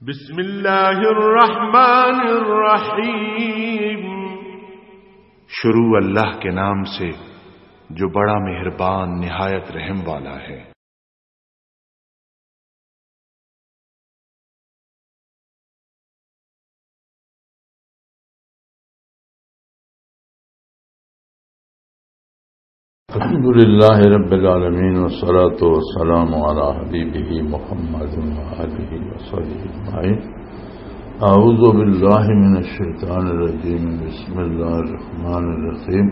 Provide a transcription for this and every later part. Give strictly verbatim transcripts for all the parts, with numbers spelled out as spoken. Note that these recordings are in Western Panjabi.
بسم اللہ الرحمن الرحیم۔ شروع اللہ کے نام سے، جو بڑا مہربان، نہایت رحم والا ہے۔ الحمد لله رب العالمين، والصلاة والسلام على حبيبه محمد وآله وصحبه أجمعين. أعوذ بالله من الشيطان الرجيم. بسم الله الرحمن الرحيم.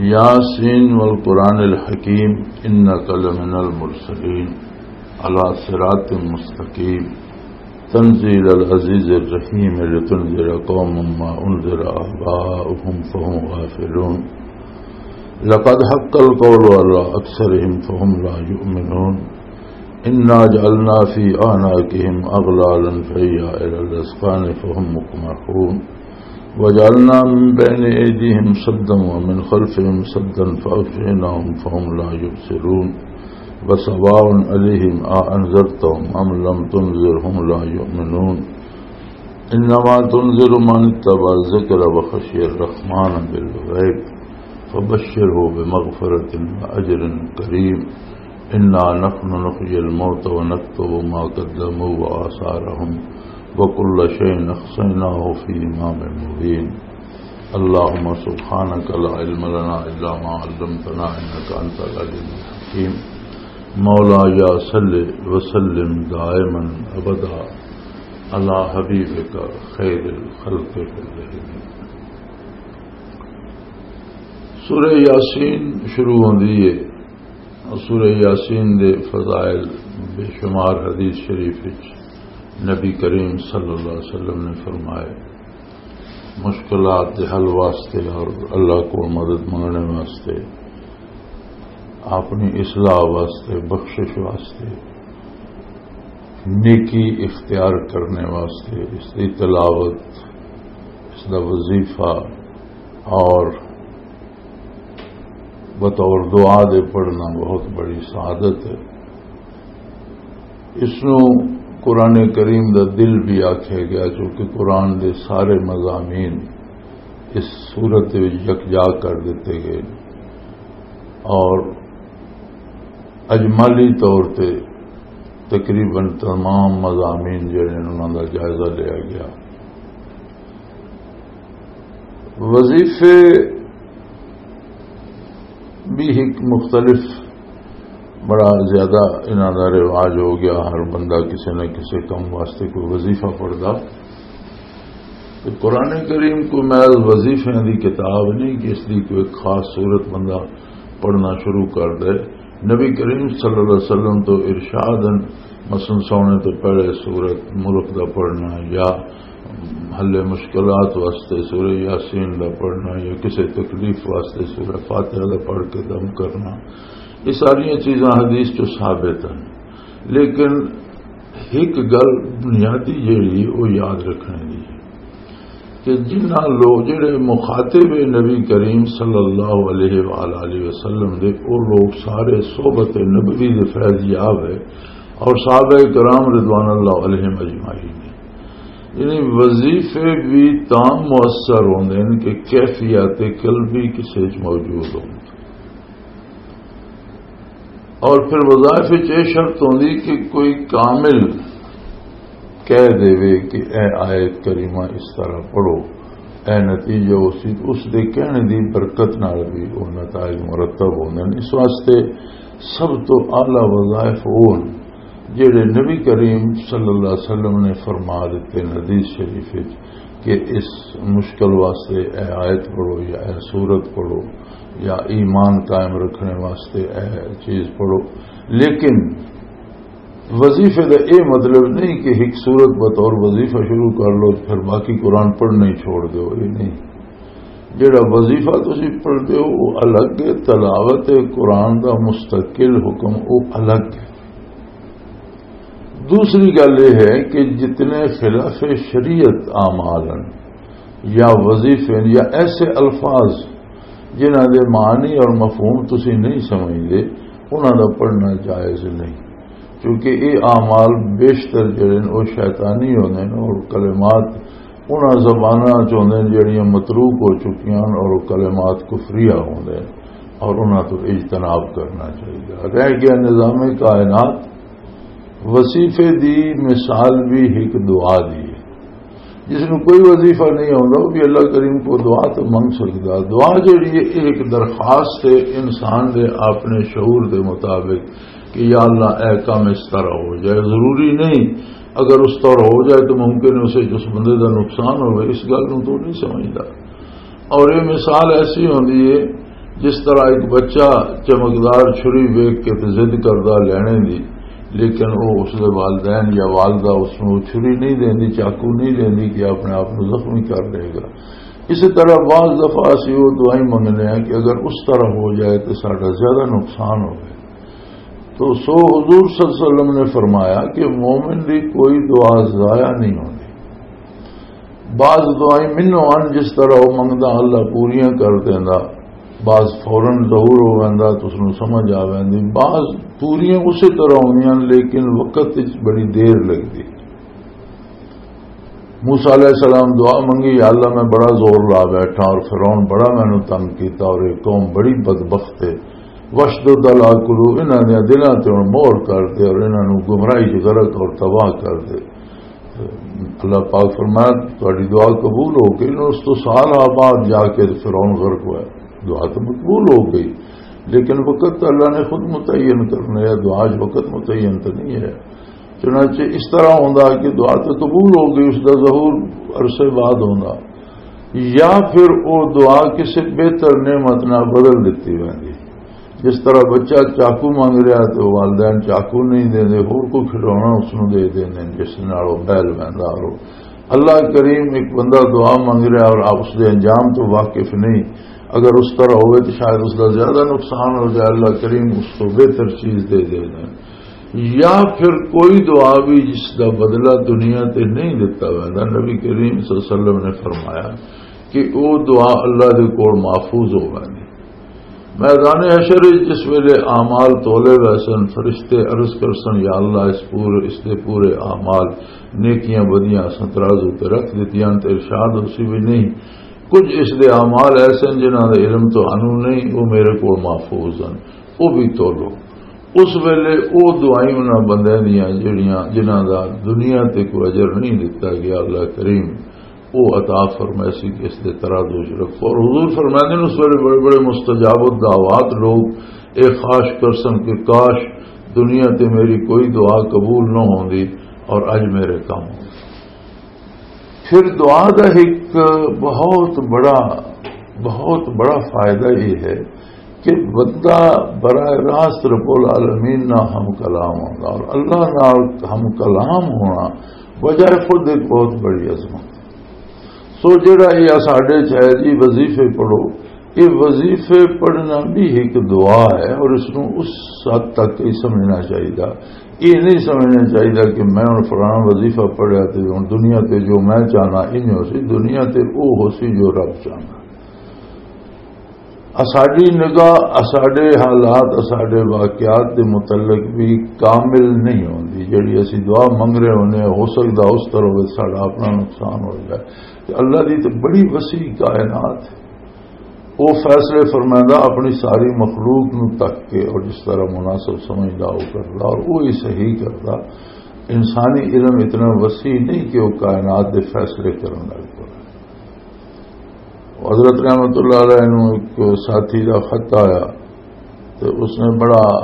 ياسين والقرآن الحكيم، إنك لمن المرسلين على صراط مستقيم. تنزيل العزيز الرحيم، لتنذر قوما ما أنذر آباؤهم فهم غافلون. لقد حق القول على أكثرهم فهم لا يؤمنون. إنا جعلنا في أعناقهم أغلالا فهي إلى الأذقان فهم مقمحون. وجعلنا من بين أيديهم سدا ومن خلفهم سدا فأغشيناهم فهم لا يبصرون. وسواء عليهم أأنذرتهم أم لم تنذرهم لا يؤمنون. إنما تنذر من اتبع الذكر وخشي الرحمن بالغيب فبشره بمغفرة وأجر كريم. إنا نحن نحيي الموتى ونكتب ما قدموا وآثارهم وكل شيء أحصيناه في إمام مبين. اللهم سبحانك لا علم لنا إلا ما علمتنا إنك أنت العليم الحكيم. مولاي صل وسلم دائما أبدا على حبيبك خير الخلق كلهم. سورہ یاسین شروع ہوندی ہے۔ سورہ یاسین دے فضائل بے شمار حدیث شریف وچ نبی کریم صلی اللہ علیہ وسلم نے فرمائے، مشکلات دے حل واسطے اور اللہ کو مدد منگنے واسطے، اپنی اصلاح واسطے، بخشش واسطے، نیکی اختیار کرنے واسطے، اس دی تلاوت، اس دا وظیفہ اور بطور دعا دے پڑھنا بہت بڑی سعادت ہے۔ اس نوں قرآن کریم دا دل بھی آکھیا گیا، چونکہ قرآن دے سارے مضامین اس سورت وچ یکجا کر دتے گئے اور اجمالی طور تے تقریباً تمام مضامین جڑے نے انہاں دا جائزہ لیا گیا۔ وظیفے بھی ایک مختلف، بڑا زیادہ انہاں دا رواج ہو گیا، ہر بندہ کسی نہ کسی کم واسطے کوئی وظیفہ پڑھدا۔ تے قرآن کریم کوئی محض وظیفیاں دی کتاب نہیں کہ اس دی کوئی خاص صورت بندہ پڑھنا شروع کر دے۔ نبی کریم صلی اللہ علیہ وسلم تو ارشاد ہیں، مثلاً سونے تو پہلے سورت ملک دا پڑھنا، یا حل مشکلات واسطے سورہ یاسین دا پڑھنا، یا کسی تکلیف واسطے سورہ فاتحہ دا پڑھ کے دم کرنا، یہ ساری چیزاں حدیث چ ثابت ہیں۔ لیکن ایک گل بنیادی جیڑی، وہ یاد رکھنے دی ہے کہ جنہاں لوگ، جڑے مخاطب نبی کریم صلی اللہ علیہ وآلہ وسلم دے، وہ لوگ سارے صحبت نبوی دے فیض یاب ہے اور صحابہ کرام رضوان اللہ علیہم اجمعین ہیں۔ یعنی وظیفے بھی تاں مؤثر ہوندے ہیں کہ کیفیت قلبی کسے وچ موجود ہوندی۔ اور پھر وظائف وچ یہ شرط ہوندی کہ کوئی کامل کہہ دے کہ اے آیت کریمہ اس طرح پڑھو، اے نتیجہ اسی، اس دے کہنے دی برکت نال بھی وہ نتائج مرتب ہوندے ہیں۔ اس واسطے سب تو اعلیٰ وظائف وہ ہیں جڑے نبی کریم صلی اللہ علیہ وسلم نے فرما دیتے ہیں حدیث شریف وچ کہ اس مشکل واسطے اے آیت پڑھو یا اے سورت پڑھو یا ایمان قائم رکھنے واسطے اے چیز پڑھو۔ لیکن وظیفے دا اے مطلب نہیں کہ ایک سورت بطور وظیفہ شروع کر لو، پھر باقی قرآن پڑھنا ہی چھوڑ دو، یہ نہیں۔ جڑا وظیفہ تسی پڑھدے ہو، وہ الگ ہے، تلاوت قرآن دا مستقل حکم، وہ الگ ہے۔ دوسری گل یہ ہے کہ جتنے خلاف شریعت اعمال ہیں یا وظیفے ہیں یا ایسے الفاظ جنہاں دے معنی اور مفہوم تسی نہیں سمجھدے، انہاں دا پڑھنا جائز نہیں، کیونکہ یہ اعمال بیشتر جڑے نے، وہ شیطانی ہوندے نے، اور کلمات انہاں زباناں چ ہوندے نے جڑیاں متروک ہو چکیاں نے، اور وہ کلمات کفریہ ہوندے نے، اور انہاں تو اجتناب کرنا چاہیے۔ رہ گیا نظام کائنات، وظیفے دی مثال بھی ایک دعا دی ہے۔ جس نوں کوئی وظیفہ نہیں آتا، وہ بھی اللہ کریم کو دعا تو منگ سکتا۔ دعا جڑی ہے، یہ ایک درخواست ہے انسان دے اپنے شعور دے مطابق کہ یا اللہ، اے کام اس طرح ہو جائے۔ ضروری نہیں، اگر اس طرح ہو جائے تو ممکن ہے اسے، اس بندے دا نقصان ہوئے، اس گل نوں تو نہیں سمجھدا۔ اور یہ مثال ایسی ہوندی ہے، جس طرح ایک بچہ چمکدار چھری ویکھ کے تے ضد کردا لینے دی، لیکن وہ اس دے والدین یا والدہ اس نوں چھری نہیں دیندی، چاقو نہیں دیندی کہ اپنے آپ نوں زخمی کر لے گا۔ اسی طرح بعض دفعہ اسی وہ دعائیں منگنے ہیں کہ اگر اس طرح ہو جائے تو ساڈا زیادہ نقصان ہوئے۔ تو سو حضور صلی اللہ علیہ وسلم نے فرمایا کہ مومن دی کوئی دعا ضائع نہیں ہوندی۔ بعض دعائیں منوں آن، جس طرح وہ منگدا اللہ پوریاں کر دیندا، بعض فوراً ظہور ہو ویندا تو اس نوں سمجھ آ ویندی، بعض پوریاں اسی طرح ہوندیاں لیکن وقت وچ بڑی دیر لگدی۔ موسیٰ علیہ السلام دعا منگی، "یا اللہ، میں بڑا زور لا بیٹھا اور فرعون بڑا مینوں تنگ کیتا اور یہ قوم بڑی بدبخت ہے، وشدد علی قلوب، انہاں دیاں دلاں تے ہن مہر کر دے اور انہاں نوں گمراہی چ غرق اور تباہ کر دے۔" اللہ پاک فرمایا، "تہاڈی دعا قبول ہو گئی۔" نو اس تو سال بعد جا کے فرعون غرق ہوا۔ دعا تو مقبول ہو گئی، لیکن وقت تو اللہ نے خود متعین کرنا ہے، دعا اچ وقت متعین تو نہیں ہے۔ چنانچہ اس طرح ہوندا کہ دعا تو قبول ہو گئی، اس دا ظہور عرصے بعد ہوندا، یا پھر وہ دعا کسی بہتر نعمت نال بدل دتی ویندی۔ جس طرح بچہ چاقو منگ رہا تو والدین چاقو نہیں دیندے، ہور کوئی کھلونا اس نوں دے دیندے جس نال وہ بہل ویندا۔ اور اللہ کریم، ایک بندہ دعا منگ رہا اور آپ اس دے انجام تو واقف نہیں، اگر اس طرح ہوئے تو شاید اس دا زیادہ نقصان ہو جائے۔ اللہ کریم اس کو بہتر چیز دے دیندے۔ یا پھر کوئی دعا بھی جس دا بدلہ دنیا تے نہیں دتا ویندا۔ نبی کریم صلی اللہ علیہ وسلم نے فرمایا کہ وہ دعا اللہ دے کول محفوظ ہو ویندی۔ میدان حشر وچ جس ویلے اعمال تولے ویسن، فرشتے عرض کرسن، "یا اللہ، اس پورے، اس دے پورے اعمال، نیکیاں بدیاں اساں ترازو تے رکھ دتیاں۔" تے ارشاد اسی بھی نہیں، کچھ اس دے اعمال ایسے ہیں جنہاں دے علم تو انو نہیں، وہ میرے کول محفوظ ہیں، وہ بھی تولو۔ اس ویلے او دعائیں انہاں بندیاں دیاں جڑیاں، جنہاں دا دنیا تے کوئی اجر نہیں دتا گیا، اللہ کریم او عطا فرمائے سی کہ اس دے ترازو وچ رکھو۔ اور حضور فرماندے نے، اس ویلے بڑے بڑے مستجاب الدعوات لوگ اے خواہش کرسن کہ کاش دنیا تے میری کوئی دعا قبول نہ ہوندی اور اج میرے کم ہوندے۔ پھر دعا دا ایک بہت بڑا، بہت بڑا فائدہ یہ ہے کہ بندہ براہ راست رب العالمین نال ہم کلام ہوندا، اور اللہ نال ہم کلام ہونا بجائے خود ایک بہت بڑی عظمت۔ سو جڑا یہ ساڈے چ ہے جی، وظیفے پڑھو، یہ وظیفے پڑھنا بھی ایک دعا ہے، اور اس نوں اس حد تک ہی سمجھنا چاہیے۔ یہ نہیں سمجھنا چاہیے کہ میں ہن فلانا وظیفہ پڑھیا تے ہن دنیا تے جو میں چاہنا انج ہو سی، دنیا تے او ہو سی جو رب چاہنا۔ اساڈی نگاہ، اساڈے حالات، اساڈے واقعات دے متعلق بھی کامل نہیں ہوندی۔ جڑی اسی دعا منگ رہے ہونے، ہو سکدا اس طرح وچ ساڈا اپنا نقصان ہو جائے۔ تے اللہ دی تے بڑی وسیع کائنات ہے۔ وہ فیصلے فرمائندا اپنی ساری مخلوق نو تک کے، اور جس طرح مناسب سمجھدا وہ کردا، اور وہی صحیح کردا۔ انسانی علم اتنا وسیع نہیں کہ وہ کائنات دے فیصلے کرن لگ پے۔ حضرت رحمت اللہ علیہ نو ایک ساتھی دا خط آیا، تو اس نے بڑا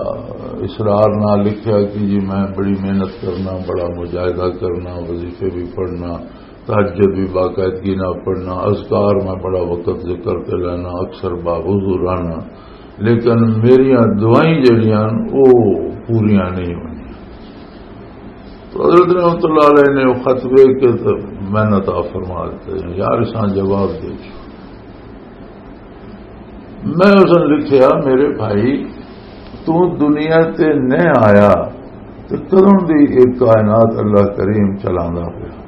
اصرار نال لکھیا کہ جی، میں بڑی محنت کرنا، بڑا مجاہدہ کرنا، وظیفے بھی پڑھنا، تہجد بھی باقاعدگی نال پڑھنا، اذکار میں بڑا وقت ذکر تے لینا، اکثر باوضو رہنا، لیکن میریاں دعائیں جڑیاں وہ پوریاں نہیں ہوندیاں۔ تو حضرت رحمت اللہ علیہ نے وہ خط ویکھ کے تو میں عطا فرما دیتے ہیں، یار، اساں جواب دے چھو۔ میں اس نے لکھیا، میرے بھائی، تو دنیا تے نہ آیا تو کدوں دی ایک کائنات اللہ کریم چلاندا پیا۔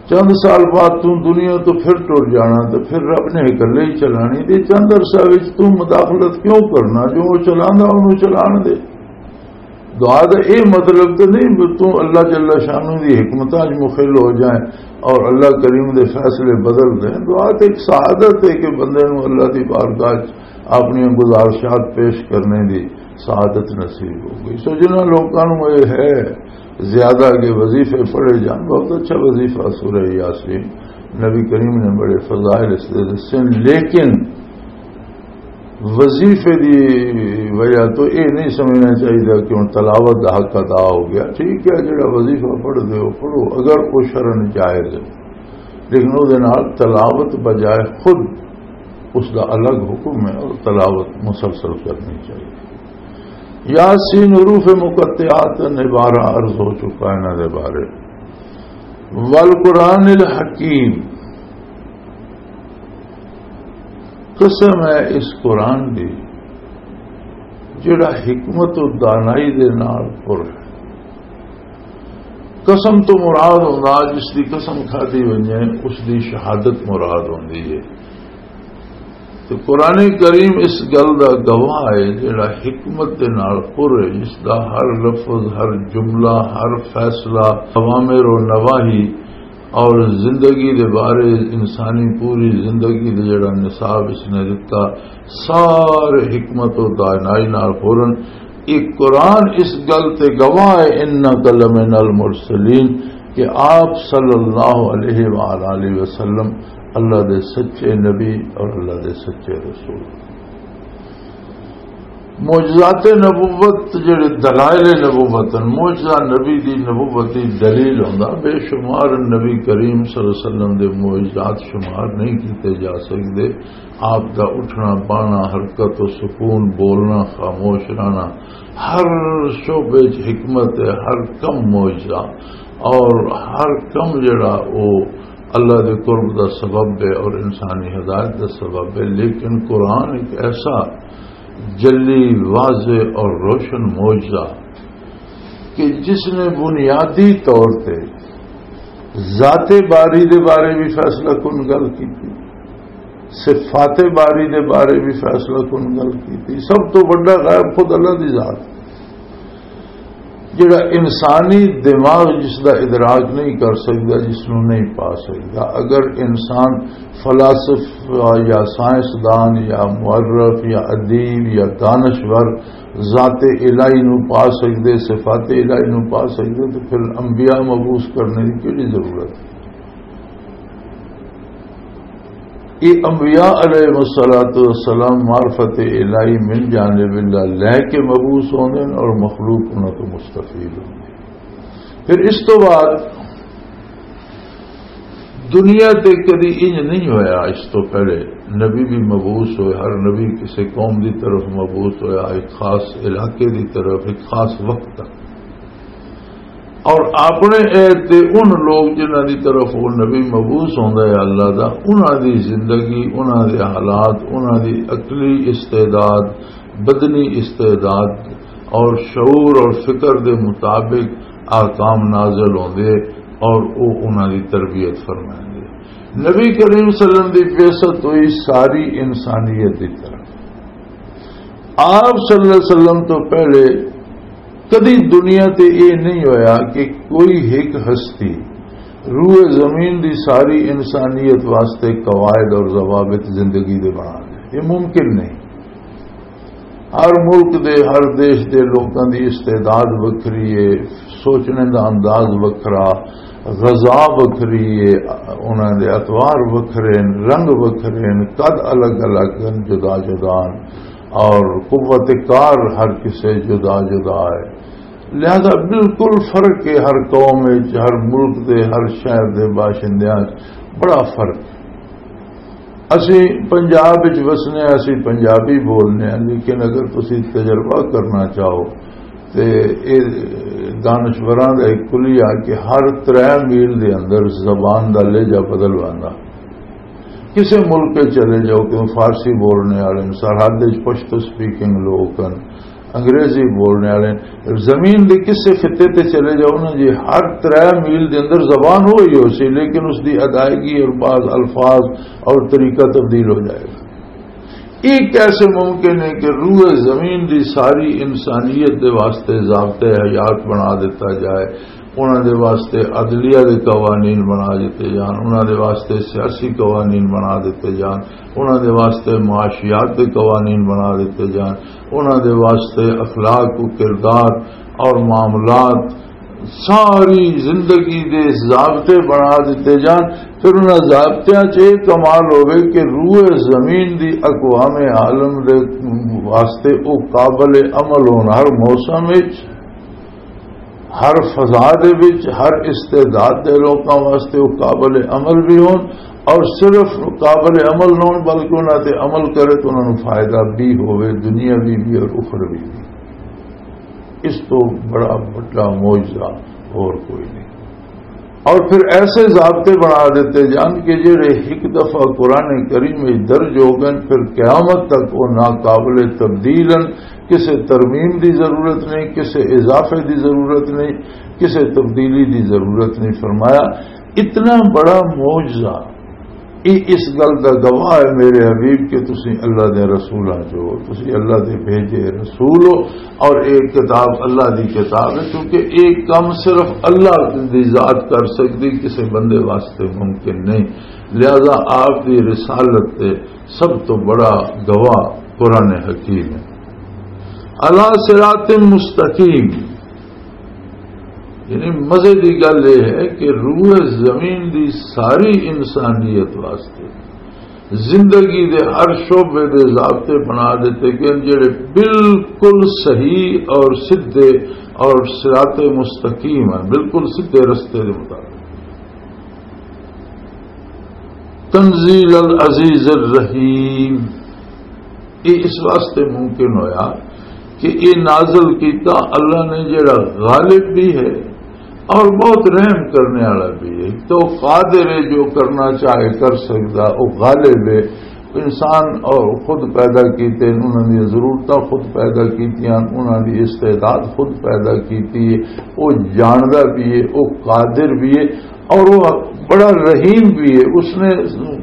چند سال بعد تو دنیا تو پھر ٹر جانا، تو پھر رب نے اکلے ہی چلانی۔ تے چند عرصہ وچ تو مداخلت کیوں کرنا؟ جو وہ چلاندا، انہوں چلان دے۔ دعا دا یہ مطلب تو نہیں کہ تم اللہ جل شانہ دی حکمتاں وچ مخل ہو جائیں اور اللہ کریم دے فیصلے بدل دیں۔ دعا تو ایک سعادت ہے کہ بندے نوں اللہ دی بارگاہ وچ اپنی گزارشات پیش کرنے دی سعادت نصیب ہو گئی۔ سو جنہاں لوکاں نوں یہ ہے زیادہ کہ وظیفے پڑھے جان، بہت اچھا وظیفہ سورہ یاسین، نبی کریم نے بڑے فضائل اس دے دسے، لیکن وظیفے دی وجہ تو یہ نہیں سمجھنا چاہیے کہ ہن تلاوت دا حق ادا ہو گیا۔ ٹھیک ہے، جڑا وظیفہ پڑھ دے ہو پڑھو، اگر وہ شرعاً جائز ہے، لیکن وہ دے نال تلاوت بجائے خود اس دا الگ حکم ہے اور تلاوت مسلسل کرنی چاہیے۔ یاسین حروف مقطعات نے بارہ عرض ہو چکا ہے انہاں دے بارے۔ والقرآن الحکیم، قسم ہے اس قرآن دی جڑا حکمت و دانائی دے نال پر ہے۔ قسم تو مراد ہوندا جس دی قسم کھادی ونجے، اس دی شہادت مراد ہوندی ہے۔ تو قرآن کریم اس گل دا گواہ ہے جڑا حکمت دے نال پر ہے، جس دا ہر لفظ، ہر جملہ، ہر فیصلہ، اوامر و نواہی اور زندگی دے بارے، انسانی پوری زندگی دے جڑا نصاب اس نے دتا، سارے حکمت و دانائی نال پورن۔ ایک قرآن اس گل تے گواہ ہے، "انک لمن المرسلین"، کہ آپ صلی اللہ علیہ وآلہ وسلم اللہ دے سچے نبی اور اللہ دے سچے رسول۔ معجزات نبوت جڑے دلائل نبوت ہیں، معجزہ نبی دی نبوت دی دلیل ہوندا، بے شمار نبی کریم صلی اللہ علیہ وسلم دے معجزات شمار نہیں کیتے جا سکدے۔ آپ دا اٹھنا، بانا، حرکت و سکون، بولنا، خاموش رہنا، ہر شعبے چ حکمت ہے، ہر کم معجزہ اور ہر کم جڑا او اللہ دے قرب دا سبب ہے اور انسانی ہدایت دا سبب ہے۔ لیکن قرآن ایک ایسا جلی، واضح اور روشن معجزہ کہ جس نے بنیادی طور تے ذات باری دے بارے بھی فیصلہ کن گل کی، صفات باری دے بارے بھی فیصلہ کن گل کی۔ سب تو بڑا غیب خود اللہ دی ذات، جڑا انسانی دماغ جس دا ادراک نہیں کر سکدا، جس نوں نہیں پا سکدا۔ اگر انسان فلاسفہ یا سائنسدان یا مورخ یا ادیب یا دانشور ذات الہی نو پا سکدے، صفات الہی نو پا سکدے، تو پھر انبیاء مبعوث کرنے کی کیڑی ضرورت ہے؟ یہ انبیاء علیہ الصلوۃ والسلام معرفت الہی من جانب اللہ لے کے مبعوث ہوندے ہیں اور مخلوق انہاں تو مستفید ہوندی ہے۔ پھر اس تو بعد دنیا تے کدی انج نہیں ہویا، اس تو پہلے نبی بھی مبعوث ہوئے، ہر نبی کسی قوم دی طرف مبعوث ہویا، ایک خاص علاقے دی طرف، ایک خاص وقت تک۔ اور اپنے عہد تے ان لوگ جنہاں دی طرف وہ نبی مبعوث ہوندا ہے اللہ دا، انہاں دی زندگی، انہاں دے حالات، انہاں دی عقلی استعداد، بدنی استعداد اور شعور اور فکر دے مطابق احکام نازل ہوندے اور او انہاں دی تربیت فرمائندے۔ نبی کریم صلی اللہ علیہ وسلم دی بعثت ہوئی ساری انسانیت دی طرف۔ آپ صلی اللہ علیہ وسلم تو پہلے کدی دنیا تے یہ نہیں ہویا کہ کوئی ایک ہستی روئے زمین دی ساری انسانیت واسطے قواعد اور ضوابط زندگی دے بنا دے۔ یہ ممکن نہیں۔ ہر ملک دے، ہر دیش دے لوکاں دی استعداد وکھری ہے، سوچنے دا انداز وکھرا، غذا وکھری ہے، انہاں دے اطوار وکھرے ہن، رنگ وکھرے ہن، قد الگ الگ ہن، جدا جدا ہن، اور قوت کار ہر کسے جدا جدا ہے۔ لہذا بالکل فرق ہے ہر قوم وچ، ہر ملک دے، ہر شہر دے باشندیاں وچ بڑا فرق ہے۔ اسی پنجاب وچ وسنے ہاں، اسی پنجابی بولنے ہاں، لیکن اگر تسی تجربہ کرنا چاہو تے اے دانشوراں دا ایک کلیہ کہ ہر ترے میل دے اندر زبان دا لہجہ بدل واندا۔ کسے ملک وچ چلے جاؤ کہ فارسی بولنے والے ہن، سرحد وچ پشتو سپیکنگ لوگ ہن، انگریزی بولنے والے، زمین دے کسے خطے تے چلے جاؤ نا جی، ہر ترے میل دے اندر زبان ہوئی ہو سی، لیکن اس دی ادائیگی اور بعض الفاظ اور طریقہ تبدیل ہو جائے گا۔ یہ کیسے ممکن ہے کہ روئے زمین دی ساری انسانیت دے واسطے ضابطۂ حیات بنا دیتا جائے، انہاں دے واسطے عدلیہ دے قوانین بنا دیتے جان، انہاں دے واسطے سیاسی قوانین بنا دیتے جان، انہاں دے واسطے معاشیات دے قوانین بنا دیتے جان، انہاں دے واسطے اخلاق و کردار اور معاملات، ساری زندگی دے ضابطے بنا دیتے جان۔ پھر انہاں ضابطیاں 'چ یہ کمال ہوئے کہ روئے زمین دی اقوام عالم دے واسطے وہ قابل عمل ہون، ہر موسم وچ، ہر فضا دے وچ، ہر استعداد دے لوکاں واسطے وہ قابل عمل بھی ہون، اور صرف قابل عمل نہ ہون بلکہ انہاں تے عمل کرے تو انہاں نوں فائدہ بھی ہوئے، دنیاوی بھی اور اخروی بھی۔ اس تو بڑا بڑا معجزہ اور کوئی نہیں۔ اور پھر ایسے ضابطے بنا دیتے جان کہ جڑے ایک دفعہ قرآن کریم میں درج ہو گئے، پھر قیامت تک وہ ناقابل تبدیل ہیں۔ کسے ترمیم دی ضرورت نہیں، کسے اضافے دی ضرورت نہیں، کسے تبدیلی دی ضرورت نہیں۔ فرمایا، اتنا بڑا معجزہ، یہ اس گل دا گواہ ہے میرے حبیب کہ تسی اللہ دے رسولاں چو، تسی اللہ دے بھیجے رسول ہو، اور ایک کتاب اللہ دی کتاب ہے، کیونکہ ایک کم صرف اللہ دی ذات کر سکتی، کسی بندے واسطے ممکن نہیں۔ لہذا آپ دی رسالت تے سب تو بڑا گواہ قرآن حکیم ہے۔ علی صراط مستقیم، یعنی مزے دی گل یہ ہے کہ روح زمین دی ساری انسانیت واسطے زندگی دے ہر شعبے دے ضابطے بنا دیتے گئے، جڑے بالکل صحیح اور سدھے اور صراط مستقیم ہیں، بالکل سدھے رستے دے مطابق۔ تنزیل العزیز الرحیم، یہ اس واسطے ممکن ہویا کہ یہ نازل کیتا اللہ نے، جڑا غالب بھی ہے اور بہت رحم کرنے والا بھی ہے۔ تو قادر ہے، جو کرنا چاہے کر سکتا، وہ غالب ہے۔ انسان اور خود پیدا کیتے، انہاں دی ضرورتاں خود پیدا کیتیاں، انہاں دی استعداد خود پیدا کیتی ہے۔ وہ جاندا بھی ہے، وہ قادر بھی ہے، اور وہ بڑا رحیم بھی ہے۔ اس نے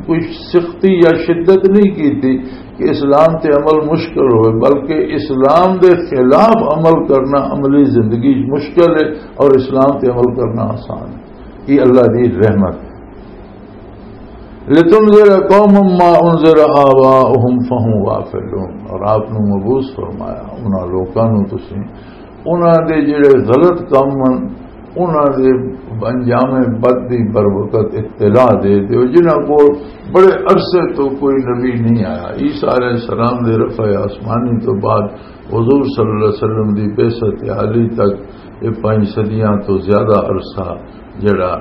کوئی سختی یا شدت نہیں کی تھی کہ اسلام تے عمل مشکل ہوئے، بلکہ اسلام دے خلاف عمل کرنا عملی زندگی مشکل ہے اور اسلام تے عمل کرنا آسان ہے۔ یہ اللہ دی رحمت ہے۔ لِتُنذِرَ قَوْمًا مَا أُنذِرَ آبَاؤُهُمْ فَهُمْ غَافِلُونَ، اور آپ نو مبعوث فرمایا انہاں لوکاں نو، تسی انہاں دے جڑے غلط کام ہن، انہاں دے انجام بد دی بر وقت اطلاع دے دیو، جنہاں کول بڑے عرصے تو کوئی نبی نہیں آیا۔ عیسیٰ علیہ السلام دے رفع آسمانی تو بعد حضور صلی اللہ علیہ وسلم دی بعثت عالی تک یہ پانچ صدیاں تو زیادہ عرصہ جڑا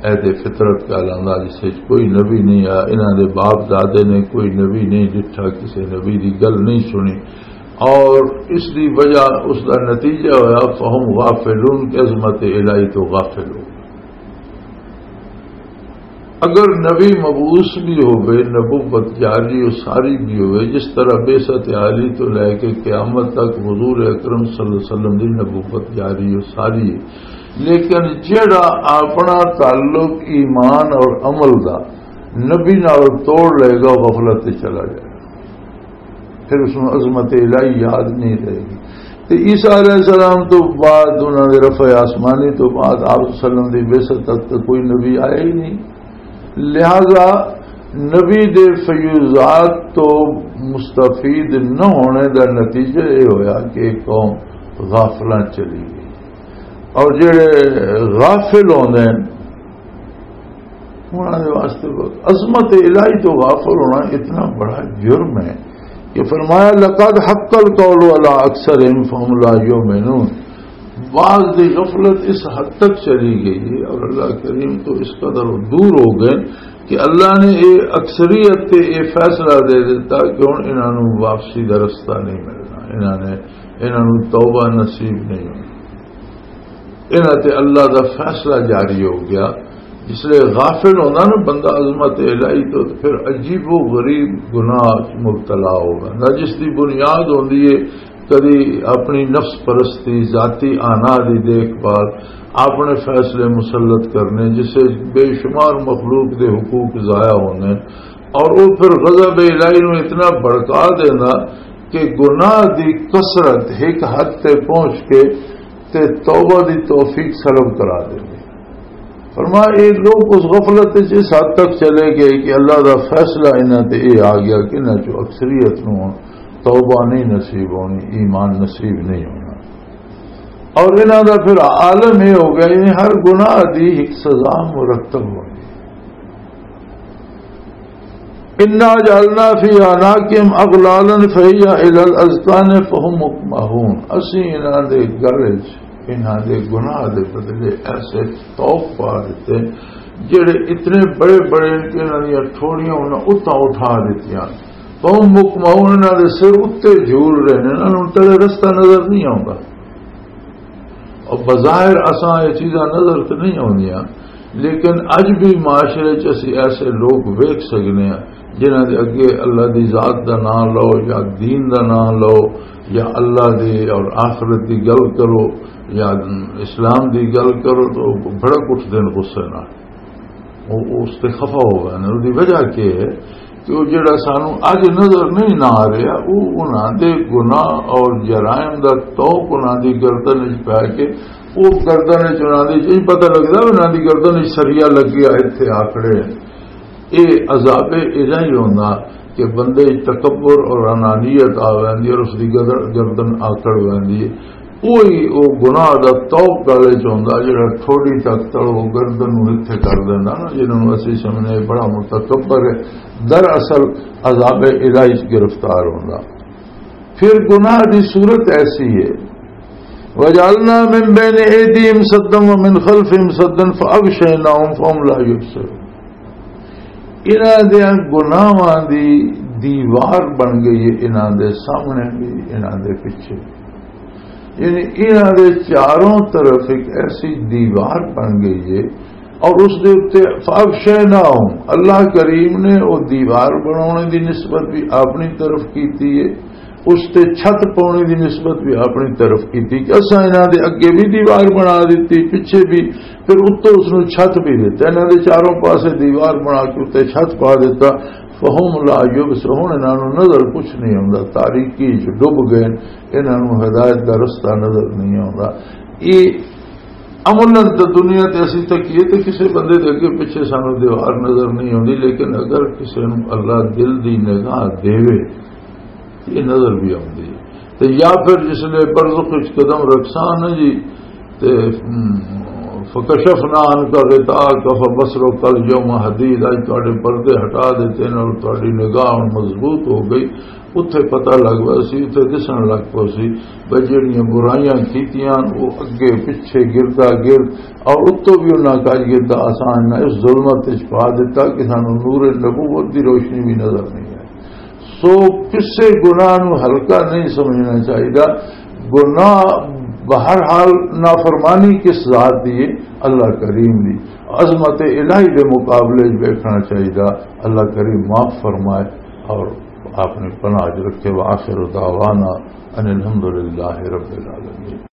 عہد فطرت کہلاندا، جس وچ کوئی نبی نہیں آیا، انہاں دے باپ دادے نے کوئی نبی نہیں ڈٹھا، کسے نبی دی گل نہیں سنی، اور اس دی وجہ، اس دا نتیجہ ہویا، فہم غافلون، کہ عظمت الہی تو غافل ہو گئے۔ اگر نبی مبعوث بھی ہوئے، نبوت جاری و ساری بھی ہوئے، جس طرح بعثت عالی تو لے کے قیامت تک حضور اکرم صلی اللہ علیہ وسلم دی نبوت جاری و ساری ہے، لیکن جڑا اپنا تعلق ایمان اور عمل دا نبی نال توڑ لے گا، غفلت تے چلا جائے گا، پھر اس نوں عظمت الہی یاد نہیں رہے گی۔ تے عیسیٰ علیہ السلام تو بعد، انہاں دے رفع آسمانی تو بعد، آپ صلی اللہ علیہ وسلم دی بعثت تک تو کوئی نبی آیا ہی نہیں۔ لہذا نبی دے فیوضات تو مستفید نہ ہونے دا نتیجہ یہ ہویا کہ ایک قوم غافلاں چلی گئی، اور جڑے غافل ہوندے ہیں، انہاں دے واسطے بہت عظمت الہی تو غافل ہونا اتنا بڑا جرم ہے کہ فرمایا، "لقد حق القول علی اکثرهم فهم لا یؤمنون۔" بعض دی غفلت اس حد تک چلی گئی ہے اور اللہ کریم تو اس قدر دور ہو گئے کہ اللہ نے یہ اکثریت تے یہ فیصلہ دے دیتا کہ ہن انہاں نوں واپسی دا رستہ نہیں ملنا، انہاں نے، انہاں نوں توبہ نصیب نہیں ہونی۔ انہاں تے اللہ دا فیصلہ جاری ہو گیا۔ جس لئے غافل ہوندا نا بندہ عظمت الہی تو، تو پھر عجیب و غریب گناہ وچ مبتلا ہو ویندا، جس دی بنیاد ہوندی ہے کدی اپنی نفس پرستی، ذاتی آنا دی دیکھ بھال، اپنے فیصلے مسلط کرنے، جس وچ بے شمار مخلوق دے حقوق ضائع ہوندے ہیں۔ اور وہ پھر غضب الہی نو اتنا بھڑکا دینا کہ گناہ دی کثرت ایک حد تے پہنچ کے تے توبہ دی توفیق سلب کرا دے۔ فرمایا، یہ لوگ اس غفلت وچ اس حد تک چلے گئے کہ اللہ دا فیصلہ انہاں تے یہ آ گیا کہ انہاں چوں اکثریت نوں توبہ نہیں نصیب ہونی، ایمان نصیب نہیں ہونا۔ اور انہاں دا پھر عالم یہ ہو گیا، یعنی ہر گناہ دی ایک سزا مرتب ہونی۔ انا جعلنا فی اعناقہم اغلالا فہی الی الاذقان فہم مقمحون۔ اسی انہاں دے گل وچ انہاں دے گناہ دے بدلے ایسے طوق پا دتے، جڑے اتنے بڑے بڑے کہ انہاں دیاں ٹھوڑیاں انہاں اتاں اٹھا دتیاں۔ فہم مقمحون، انہاں دے سر اتے جھول رہے نے، انہاں نوں تلے رستہ نظر نہیں آوندا۔ اور بظاہر اساں یہ چیزاں نظر تے نہیں آوندیاں، لیکن اج بھی معاشرے چ اسی ایسے لوگ ویکھ سکنے ہیں جنہاں دے اگے اللہ دی ذات دا نام لو یا دین دا نام لو یا اللہ دی اور آخرت دی گل کرو یا اسلام دی گل کرو تو بھڑک اٹھدے نے غصے نال۔ وہ اس تے خفا ہو گئے نے۔ اس دی وجہ کی ہے کہ وہ جڑا سانو اج نظر نہیں نہ آ رہا، وہ انہاں دے گناہ اور جرائم دا توق انہاں دی گردن وچ پے کے، وہ گردن وچ انہاں دی، یہ پتہ لگدا انہاں دی گردن وچ سریا لگیا، اتھے آکڑے۔ یہ عذاب الہی ہوندا کہ بندے وچ تکبر اور انانیت آ ویندی اور اس دی گدر-، گردن آکڑ ویندی ہے۔ وہی وہ گناہ دا توق گالے چ ہوندا جڑا ٹھوڑی تک تلو گردن نوں اتھے کر دیندا نا، جنہاں نوں اسی سمجھنے بڑا متکبر ہے، دراصل عذاب الہی چ گرفتار ہوندا۔ پھر گناہ دی صورت ایسی ہے، وجعلنا من بین ایدیہم سدا ومن خلفہم سدا فاغشیناہم فہم لا یبصرون۔ انہاں دیاں گناہاں دی دیوار بن گئی ہے، انہاں دے سامنے بھی، انہاں دے پیچھے۔ یعنی انہاں دے چاروں طرف ایک ایسی دیوار بن گئی ہے، اور اس دے اُتے فاغشیناہم، اللہ کریم نے وہ دیوار بنانے دی نسبت بھی اپنی طرف کیتی ہے، اس تے چھت پاؤنے دی نسبت بھی اپنی طرف کیتی کہ اساں انہاں دے اگے بھی دیوار بنا دتی، پیچھے بھی، پھر اتوں اس نوں چھت بھی دتا، انہاں دے چاروں پاسے دیوار بنا کے اُتے چھت پا دتا۔ فہم لا یبصرون، انہاں نوں نظر کچھ نہیں آوندا، تاریکی وچ ڈب گئے، انہاں نوں ہدایت دا رستہ نظر نہیں آوندا۔ یہ عملاً تے دنیا تے اسی تکیے تے کسے بندے دے اگے پیچھے سانوں دیوار نظر نہیں آوندی، لیکن اگر کسے نوں اللہ دل دی نگاہ دیوے، یہ نظر بھی آوندی ہے۔ تے یا پھر جس لے برزخ وچ قدم رکھساں نا جی، تے، ہم، فکشفنا عنک غطاءک فبصرک الیوم حدید، اج تہاڈے پردے ہٹا دتے نے اور تہاڈی نگاہ ہن مضبوط ہو گئی۔ اتھے پتہ لگ پیا سی، اتھے دسن لگ پیا سی بھئی جہڑیاں برائیاں کیتیاں، وہ اگے پچھے گردا گرد، اور اتوں بھی انہاں کج گردا آسان نہ اس ظلمت وچ پا دتا کہ سانوں نور نبوت دی روشنی بھی نظر نہیں آئی۔ سو کسے گناہ نو ہلکا نہیں سمجھنا چاہیے۔ گناہ بہرحال نافرمانی کس ذات دی ہے؟ اللہ کریم دی۔ عظمت الہی دے مقابلے وچ ویکھنا چاہیے، اللہ کریم معاف فرمائے اور اپنی پناہ وچ رکھے۔ وآخر دعوانا ان الحمدللہ رب العالمین۔